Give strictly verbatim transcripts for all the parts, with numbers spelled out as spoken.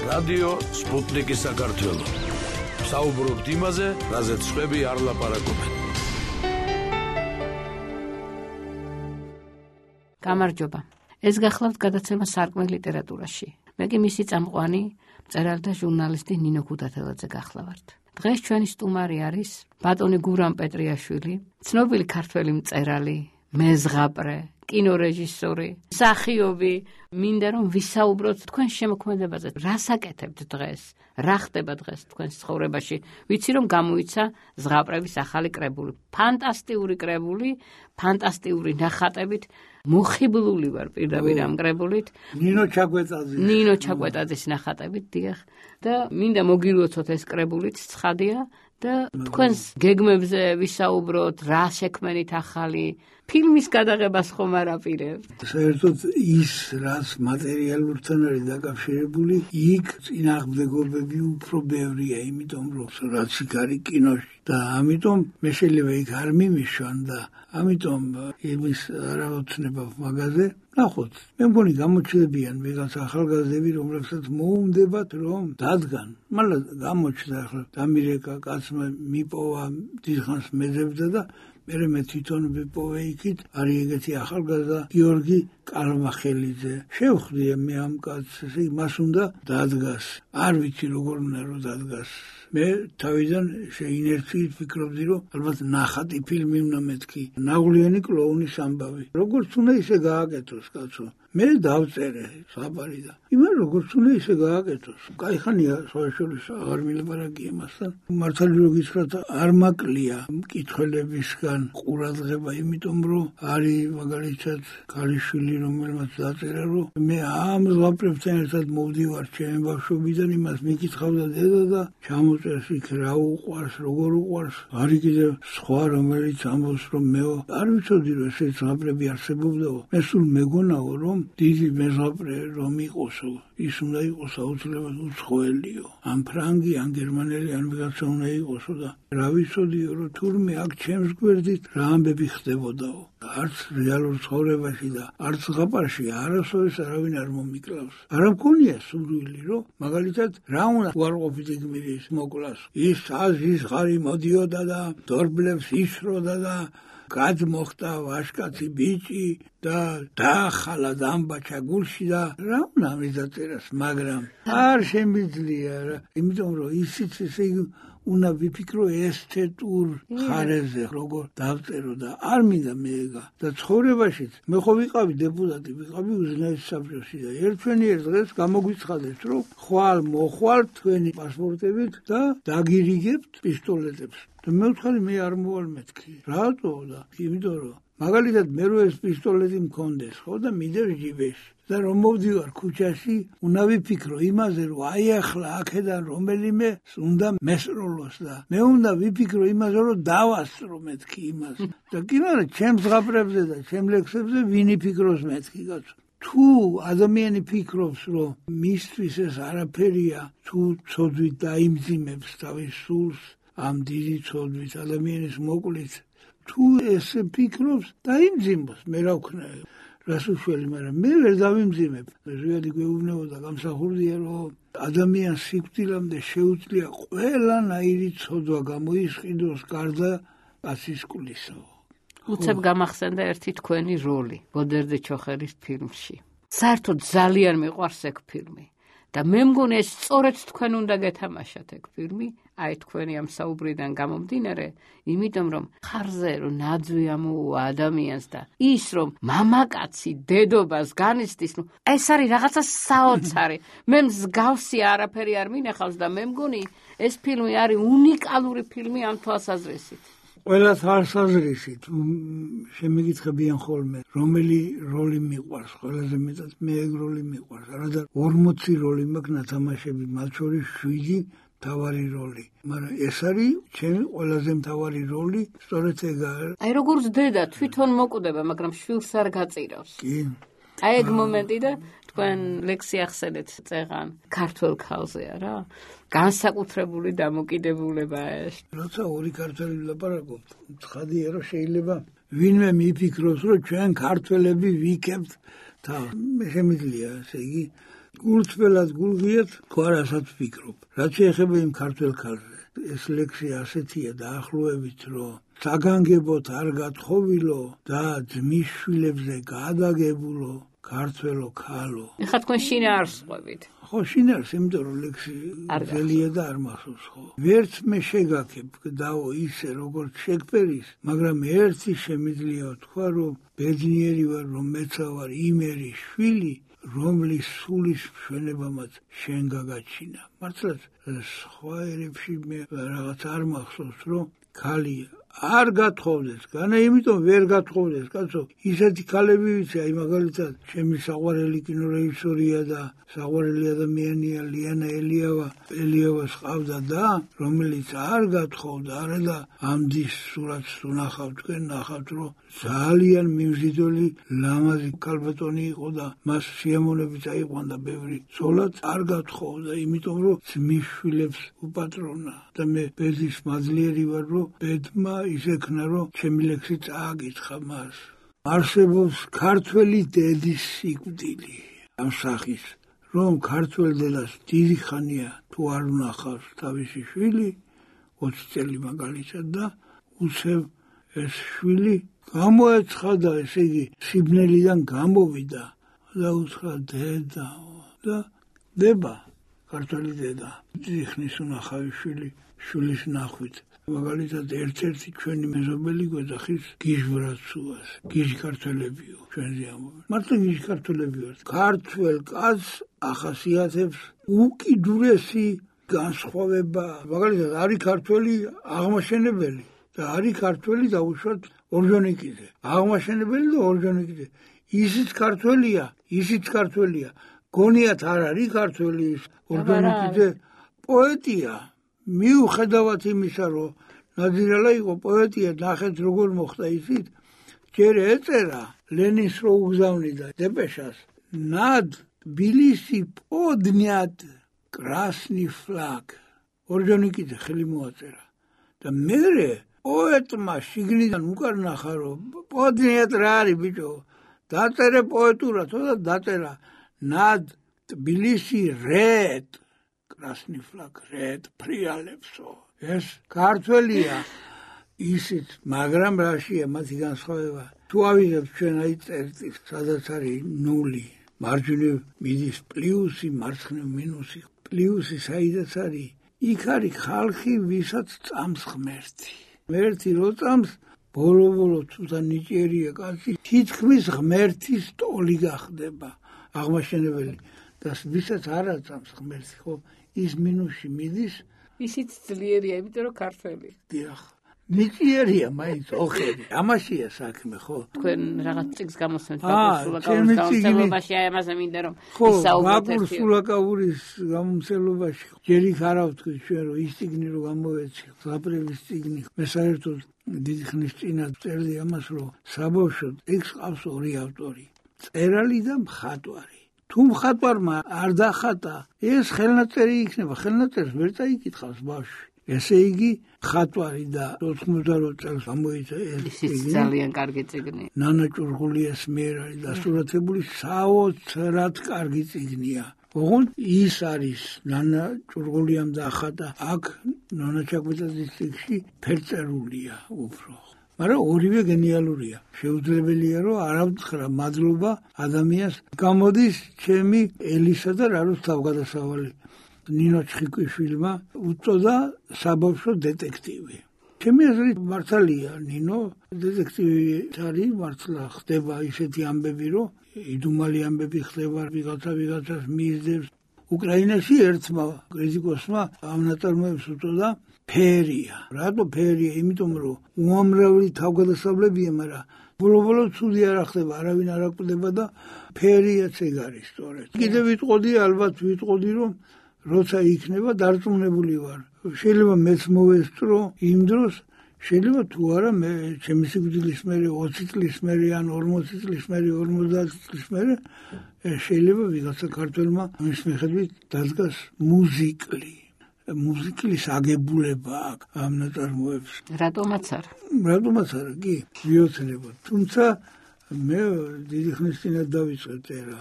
რადიო სპუტნიკი საქართველო. საუბრობთ იმაზე, რაზეც სხვები არ ლაპარაკობენ. გამარჯობა. ეს გახლავთ გადაცემა სარკმელი ლიტერატურაში. მე კი მისი წამყვანი, მწერალი და ჟურნალისტი ნინო ქუდათელაძე გახლავართ. დღეს ჩვენი სტუმარი არის ბატონი გურამ პეტრიაშვილი, ცნობილი ქართველი მწერალი, მეზღაპრე, კინორეჟისორი, მსახიობი. მინდა რომ ვისაუბროთ თქვენ შემოქმედებაზე. რას აკეთებთ დღეს? რა ხდება დღეს თქვენს ცხოვრებაში? ვიცი რომ გამოიცა ზღაპრების ახალი კრებული. ფანტასტიკური კრებული, ფანტასტიკური ნახატებით. მოხიბლული ვარ პირდაპირ ამ კრებულით. ნინო ჩაკვეტაძის. ნინო ჩაკვეტაძის ნახატებით, დიახ. და მინდა მოგილოცოთ ეს კრებულით, ცხადია. და თქვენს გეგმებზე ვისაუბროთ, რა შექმენით ახალი ფილმის გადაღებას ხომ არ აპირებთ? საერთოდ ის, რაც მატერიალურთან არის დაკავშირებული, იქ წინააღმდეგობები უფრო ბევრია, იმიტომ რომ რაც იქ არის კინოში და ამიტომ მე შეიძლება იქ არ მიმიშვან და ამიტომ იმის არავოცნება მაგაზე ნახოთ. მე მგონი გამოჩნდებიან ვიღაც ახალგაზრდები, რომლებსაც მოუნდებათ რომ დადგან. მაგრამ გამოჩნდა ახლა დამირეკა კაცმა მიპოვა დიდხანს მეძებდა და მერე მე თვითონ ვიპოვე იქით, არის ეგეთი ახალგაზრდა გიორგი კალმახელიძე. შევხვდი მე ამ კაცს, მას უნდა დადგას. არ ვიცი როგორ უნდა რომ დადგას. მე თავიდან შეინერციით ვფიქრობდი რომ ალბათ ნახატი ფილმი უნდა მეთქი. ნაღვლიანი კლოუნის ამბავი. როგორც უნდა ისე გააკეთოს კაცო. მე დავწერე საბარი და იმან როგორც უნდა ისე გააკეთოს. კაიხანია სოაშოლის აღარ მილაპარაკი იმასთან. მართალი რო გითხრათ არ მაკლია მკითხველებისგან ყურადღება, იმიტომ რომ არის მაგალითად ქალიშვილი რომელმაც დაწერა რომ მე ამ ზღაპრებთან ერთად მოვდივარ ჩემი ბავშვობიდან, იმას მიკითხავდა დედა და ჩამოწერს იქ რა უყვარს, როგორ უყვარს. არის კიდევ სხვა რომელიც ამბობს რომ მე არ ვიცოდი რომ ეს ზღაპრები არსებობდაო. მე სულ მეგონაო რომ დიდი მეზღაპრე რომ იყოსო, ის უნდა იყოს აუცილებლად უცხოელიო. ან ფრანგი, ან გერმანელი, ან ვიღაცა უნდა იყოსო და რა ვიცოდიო რომ თურმე აქ ჩემს გვერდით რა ამბები ხდებოდაო. არც რეალურ ცხოვრებაში და არც ზღაპარში არასოდეს არავინ არ მომიკლავს. არ მქონია სურვილი რომ მაგალითად რა უნდა უარყოფითი გმირის მოკლას. ის აზის ღარი მოდიოდა და დორბლებს ისროდა და გადმოხდა ვაშკაცი ბიჭი და დაახალა დამბაჩა გულში და რა უნდა მიზაწერას, მაგრამ არ შემიძლია რა, იმიტომ რომ ისიც ესე უნდა ვიფიქრო ესთეტურ ხარეზე როგორ დავწერო და არ მინდა მეეგა და ცხოვრებაშიც მე ხო ვიყავი დეპუტატი, ვიყავი უზენაეს საბჭოში და ერთვენიერ დღეს გამოგვიცხადეთ რომ ხვალ მოხვალ თქვენი პასპორტებით და დაგირიგებთ პისტოლეტებს. და მე ვთხარი მე არ მოვალ მეთქი. რატო და იმიტომ რომ მაგალითად მე რო ეს პისტოლეტი მქონდეს ხო და მიდევ ჯიბეში და რომ მოვდივარ ქუჩაში, უნდა ვიფიქრო იმაზე რომ აი ახლა აქედან რომელიმე უნდა მესროლოს და მე უნდა ვიფიქრო იმაზე რომ დავასწრო მეთქი იმას. და კი მაგრამ ჩემს ზღაპრებზე და ჩემ ლექსებზე ვინ იფიქროს მეთქი კაცო. თუ ადამიანი ფიქრობს რომ მისთვის ეს არაფერია, თუ ცოდვით დაიმძიმებს თავის სულს ამ დიდი ცოდვით ადამიანის მოკლით, თუ ესე ფიქრობს დაიმძიმოს, მე რა ვქნა რას უშველი, მაგრამ მე ვერ დავიმძიმებ. ზოგადი გვეუბნებოდა გამსახურდია რომ ადამიანს სიკვდილამდე შეუძლია ყველანაირი ცოდვა გამოისყიდოს გარდა კაცის კვლისა. უცებ გამახსენდა ერთი თქვენი როლი ბოდერდე ჩოხერის ფილმში. საერთოდ ძალიან მიყვარს ეგ ფილმი. და მე მგონი ეს სწორედ თქვენ უნდა გეთამაშათ ეგ ფილმი, აი თქვენი ამ საუბრიდან გამომდინარე, იმიტომ რომ ხარზე რომ ნაძვი ამოუვა ადამიანს და ის რომ მამაკაცი დედობას განიცდის, ნუ ეს არის რაღაცა საოცარი. მე მსგავსი არაფერი არ მინახავს და მე მგონი ეს ფილმი არის უნიკალური ფილმი ამ თვალსაზრისით. ყველას თვალსაზრისით შემიგიცხებიან ხოლმე რომელი როლი მიყვარს, ყველაზე მეტად მე ეგ როლი მიყვარს. არადა ორმოცი როლი მაქვს ნათამაშები, მათ შორის შვიდი მთავარი როლი. მაგრამ ეს არის ჩემი ყველაზე მთავარი როლი, სწორედ ეგ არის. აი როგორც დედა თვითონ მოკვდება, მაგრამ შვილს არ გაწირავს. კი. აი ეგ მომენტი და თქვენ ლექსი ახსენეთ წეღან ქართველ ქალზეა რა. განსაკუთრებული დამოკიდებულება ეს. როცა ორი ქართველი ვლაპარაკობთ, ცხადია რომ შეიძლება ვინმე მიფიქროს რომ ჩვენ ქართველები ვიქებთ და მე შემიძლია, ესე იგი გულწრფელად გულღიათ თუ არასაც ვფიქრობ. რაც შეეხება იმ ქართველ ქალზე, ეს ლექსი ასეთია დაახლოებით, რომ საგანგებოდ არ გათხოვილო და ძმის შვილებზე გადაგებულო ქართველო ქალო. ეხლა თქვენ შინაარს ყვებით. ხო, შინაარს, იმიტომ რომ ლექსი ძელია და არ მახსოვს, ხო. ვერც მე შეგაქებ გდაო ისე როგორც შეგვერის, მაგრამ ერთი შემიძლია ვთქვა, რომ ბედნიერი ვარ, რომ მეცა ვარ იმერის შვილი, რომლის სულის მშვენებამაც შენ გაგაჩინა. მართლაც სხვა ერებში მე რაღაც არ მახსოვს, რომ ქალი არ გათხოვდეს, განა იმიტომ ვერ გათხოვდეს, კაცო, ისეთი ქალები ვიცი, აი მაგალითად, ჩემი საყვარელი კინორეჟისორია და საყვარელი ადამიანია ლიანა ელიავა, ელიავას ყავდა და, რომელიც არ გათხოვდა, არა და ამდის სურათს თუ ნახავთ, თქვენ ნახავთ, რომ ძალიან მიმზიდველი ლამაზი ქალბატონი იყო და მას სიამოვნებით აიყვანდა ბევრი ცოლად, არ გათხოვდა, იმიტომ რომ ძმის შვილებს უპატრონა და მე ბედის მაძლიერი ვარ, რომ ბედმა ისექნა, რომ ჩემი ლექსი წააკითხა მას. არსებობს ქართველი დედის სიკვდილი ამ სახის, რომ ქართველ დედას დიდი ხანია თუ არ უნახავს თავისი შვილი, ოცი წელი მაგალითად და უცებ ეს შვილი გამოეცხადა, ესე იგი სიბნელიდან გამოვიდა და უთხრა დედა და დება ქართველი დედა. დიდი ხნის უნახავი შვილი შვილის ნახვით. მაგალითად ერთ-ერთი ჩვენი მეზობელი გვეძახის გიჟბრაცუას, გიჟ ქართველებიო, ჩვენზე ამბობენ. მართლა გიჟ ქართველები ვართ. ქართველ კაცს ახასიათებს უკიდურესი განსხვავება. მაგალითად არის ქართველი აღმაშენებელი და არის ქართველი დაუშვათ ორჯონიკიძე. აღმაშენებელი და ორჯონიკიძე. ისიც ქართველია, ისიც ქართველია. გონიათ არ არის ქართველი ორჯონიკიძე პოეტია. მიუხედავად იმისა, რომ ნადირალა იყო პოეტია, ნახეთ როგორ მოხდა ისიც, ჯერ ეწერა ლენინს რო უგზავნიდა დეპეშას, ნად თბილისი პოდნიად კრასნი ფლაგ. ორჯონიკიძე ხელი მოაწერა და მერე პოეტმა შიგნიდან უკან ნახა, რომ პოდნიად რა არის ბიჭო, დაწერე პოეტურათო და დაწერა ნად თბილისი რედ კრასნი ფლაგ რედ ფრიალებსო. ეს ქართველია ისიც, მაგრამ რაშია მათი განსხვავება? თუ ავიღებთ ჩვენ აი წერტილს, სადაც არის ნული, მარჯვნივ მიდის პლუსი, მარცხნივ მინუსი, პლუსი საიდაც არის, იქ არის ხალხი, ვისაც წამს ღმერთი. ღმერთი რო წამს, ბოლო-ბოლო თუ და ნიჭიერია კაცი, თითქმის ღმერთის ტოლი გახდება აღმაშენებელი და ვისაც არ აწამს ღმერთი, ხო, ის მინუსში მიდის, ისიც ძლიერია, იმიტომ რომ ქართველი. დიახ. ნიჭიერია მაინც ოხერი. ამაშია საქმე, ხო? თქვენ რაღაც წიგს გამოსცემთ ბაკურ გამომცემლობაში, აი ამაზე მინდა რომ ისაუბროთ. ხო, ბაკურ სულაკაურის გამომცემლობაში. ჯერ იქ არა ვთქვი ჩვენ, რომ ის წიგნი რო გამოვეცი, ზაპრევის წიგნი. მე საერთოდ დიდი ხნის წინა წერდი ამას, რომ საბავშვოდ ტექსტს ყავს ორი ავტორი. წერალი და მხატვარი. თუ მხატვარმა არ დახატა, ეს ხელნაწერი იქნება, ხელნაწერს ვერ წაიკითხავს ბავშვი. ესე იგი, მხატვარი და ოთხმოცდაოთხ წელს გამოიცა ეს წიგნი. ძალიან კარგი წიგნი. ნანა ჭურღულიას მიერ არის დასურათებული, საოცრად კარგი წიგნია. ოღონდ ის არის ნანა ჭურღულიამ დახატა, აქ ნონა ჩაკვეტაძის წიგნში ფერწერულია უფრო. მაგრამ ორივე გენიალურია. შეუძლებელია, რომ არ ავთხრა მადლობა ადამიანს. გამოდის ჩემი ელისა და რაროს თავგადასავალი. ნინო ჩხიკვიშვილმა უწოდა საბავშვო დეტექტივი. ჩემი აზრით მართალია, ნინო დეტექტივი არის, მართლა ხდება ისეთი ამბები, რომ იდუმალი ამბები ხდება, ვიღაცა ვიღაცას მისდევს. უკრაინაში ერთმა კრიტიკოსმა ამ ნაწარმოებს უწოდა ფერია. რატო ფერია? იმიტომ რომ უამრავი თავგადასავლებია, მაგრამ ბოლო-ბოლო ცუდი არ ხდება, არავინ არ აკვდება და ფერიაც ეგ არის სწორედ. კიდევ ვიტყოდი, ალბათ ვიტყოდი, რომ როცა იქნება დარწმუნებული ვარ. შეიძლება მეც მოვესწრო იმ დროს, შეიძლება თუ არა მე ჩემი სიკვდილის მერე ოცი წლის მერე ან ორმოცი წლის მერე, ორმოცდაათი წლის მერე შეიძლება ვიღაცა ქართველმა მის მიხედვით დადგას მუზიკლი. მუსიკის აგებულება აქ ამ ნაწარმოებს. რატომაც არა? რატომაც არა, კი, ვიოცნებოთ. თუმცა მე დიდი ხნის წინათ დავიწყე წერა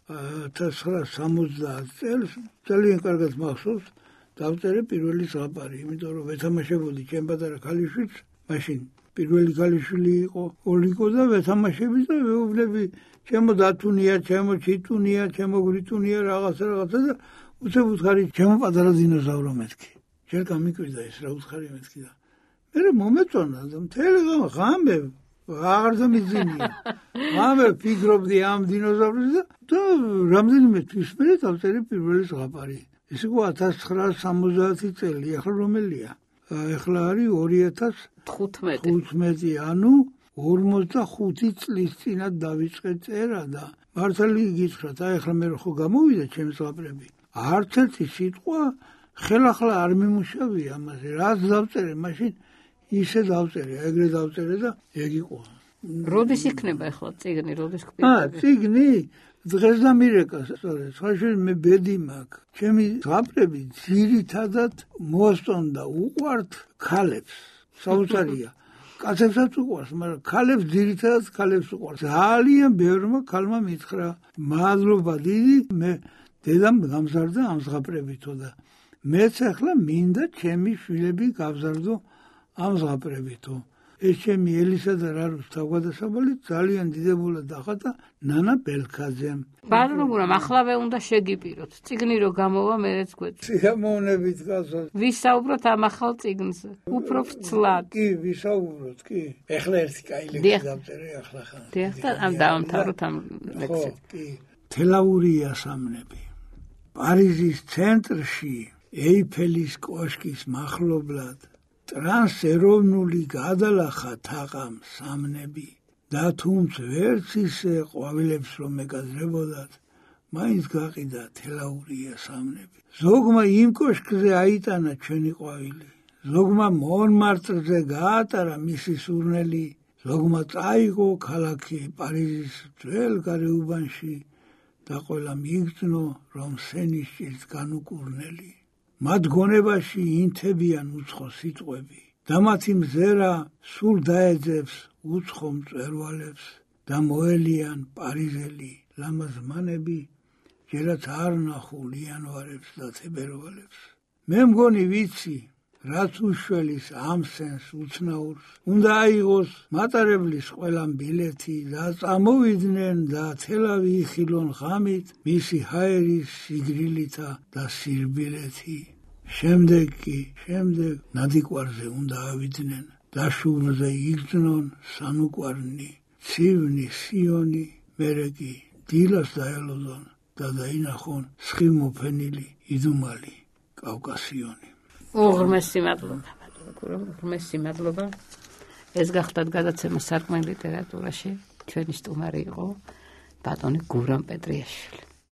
ათას ცხრაასი სამოცდაათი წელს ძალიან კარგად მახსოვს დავწერე პირველი ზღაპარი, იმიტომ რომ ვეთამაშებოდი ჩემ პატარა ქალიშვილს, მაშინ პირველი ქალიშვილი იყო ოლიკო და ვეთამაშები და ვეუბნები ჩემო დათუნია, ჩემო ჩიტუნია, ჩემო გრიტუნია რაღაცა რაღაცა და უცებ უთხარი ჩემო პატარა დინოზავრო მეთქი. ჯერ გამიკვირდა ეს რა უთხარი მეთქი და მე მომეწონა და მთელი ღამე აღარ დამიძინია. ღამე ფიქრობდი ამ დინოზავრზე და რამდენიმე თვის მერე დავწერე პირველი ზღაპარი. ეს იყო ათას ცხრაასი სამოცდაათი წელი, ახლა რომელია? ახლა არის ორი ათას თხუთმეტი, ანუ ორმოცდახუთი წლის წინათ დავიწყე წერა და მართალი გითხრათ, აი ახლა მე ხო გამოვიდა ჩემს ზღაპრები. არც ერთი სიტყვა ხელახლა არ მიმუშავია ამაზე. რაც დავწერე, მაშინ ისე დავწერე, ეგრე დავწერე და ეგ იყო. როდის იქნება ახლა წიგნი, როდის გქონდა? აა, წიგნი დღეს დამირეკა, სწორედ. ხაშენ მე ბედი მაქვს. ჩემი ზღაპრები ძირითადად მოსწონდა უყვართ ქალებს. საოცარია. კაცებსაც უყვარს, მაგრამ ქალებს ძირითადად ქალებს უყვარს. ძალიან ბევრმა ქალმა მითხრა, მადლობა დიდი, მე დედამ გამზარდა ამ ზღაპრებითო და მეც ახლა მინდა ჩემი შვილები გავზარდო ამ ზღაპრებითო. ეს ჩემი ელისა და რარუს თავგადასავალი ძალიან დიდებულად დახატა ნანა ბელქაძემ. ბატონო გურამ,ახლავე უნდა შეგიპიროთ. წიგნი რო გამოვა, მეც გვეწ. სიამოვნებით გასულ. ვისაუბროთ ამ ახალ წიგნზე. უფრო ფრთლად. კი, ვისაუბროთ, კი. ეხლა ერთი კაი ლექსი დავწერე ახლა ხან. დიახ, და ამ დავამთავროთ ამ ლექსით. კი. თელაურია სამნები. პარიზის ცენტრში ეიფელის კოშკის მახლობლად ტრანსეროვნული გადალახა თაყამ სამნები და თუმც ვერც ისე ყვავილებს რომ ეკადრებოდათ, მაინც გაყიდა თელაურია სამნები. ზოგმა იმ კოშკზე აიტანა ჩვენი ყვავილი, ზოგმა მონმარტრზე გაატარა მისი სურნელი, ზოგმა წაიღო ქალაქი პარიზის ძველ გარეუბანში და ყველა მიიგრძნო, რომ სენიშის განუკურნელი. მათ გონებაში ინთებიან უცხო სიტყვები და მათი მზერა სულ დაეძებს უცხო მწვერვალებს და მოელიან პარიზელი ლამაზმანები, ჯერაც არ ნახულ იანვარებს და თებერვალებს. მე მგონი ვიცი, რაც უშველის ამ სენს უცნაურს, უნდა აიღოს მატარებლის ყველამ ბილეთი და წამოვიდნენ და თელავი იხილონ ღამით მისი ჰაერის სიგრილითა და სირბილეთი. შემდეგ კი, შემდეგ ნადიკვარზე უნდა ავიდნენ და შუბლზე იგრძნონ სანუკვარნი, ცივნი სიონი, მერე კი დილას დაელოდონ და დაინახონ სხივმოფენილი იდუმალი კავკასიონი. უღრმესი მადლობა, უღრმესი მადლობა. ეს გახლდათ გადაცემა სარკმელი ლიტერატურაში. ჩვენი სტუმარი იყო ბატონი გურამ პეტრიაშვილი.